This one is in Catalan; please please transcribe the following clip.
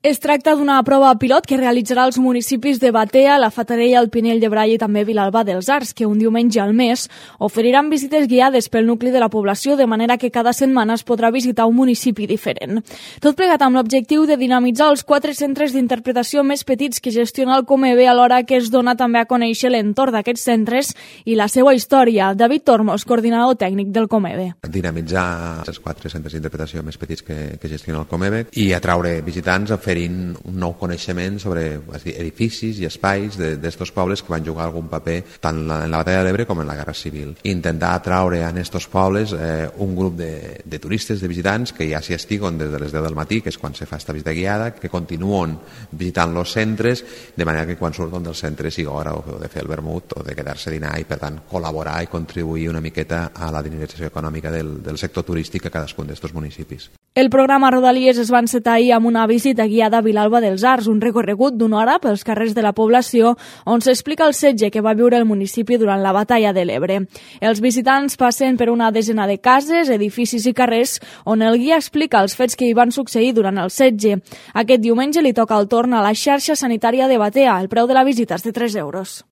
Es tracta d'una prova pilot que realitzarà els municipis de Batea, la Fatarella, el Pinell de Brai i també Vilalba dels Arcs, que un diumenge al mes oferiran visites guiades pel nucli de la població, de manera que cada setmana es podrà visitar un municipi diferent. Tot plegat amb l'objectiu de dinamitzar els 4 centres d'interpretació més petits que gestiona el Comebe, alhora que es dona també a conèixer l'entorn d'aquests centres i la seva història. David Tormos, coordinador tècnic del Comebe. Dinamitzar els 4 centres d'interpretació més petits que gestiona el Comebe i atraure visitants a fer un nou coneixement sobre edificis i espais d'estos pobles que van jugar algun paper tant en la Batalla de l'Ebre com en la Guerra Civil. Intentar atraure en estos pobles un grup de turistes, de visitants, que ja s'hi estiguen des de les 10 del matí, que és quan se fa esta visita guiada, que continuen visitant els centres, de manera que quan surten del centre sigui hora o de fer el vermut o de quedar-se a dinar i, per tant, col·laborar i contribuir una miqueta a la dinamització econòmica del sector turístic a cadascun d'estos municipis. El programa Rodalies es va encetar ahir amb una visita guiada a Vilalba dels Arcs, un recorregut d'una hora pels carrers de la població on s'explica el setge que va viure el municipi durant la Batalla de l'Ebre. Els visitants passen per una desena de cases, edificis i carrers on el guia explica els fets que hi van succeir durant el setge. Aquest diumenge li toca el torn a la xarxa sanitària de Batea. El preu de la visita és de 3 euros.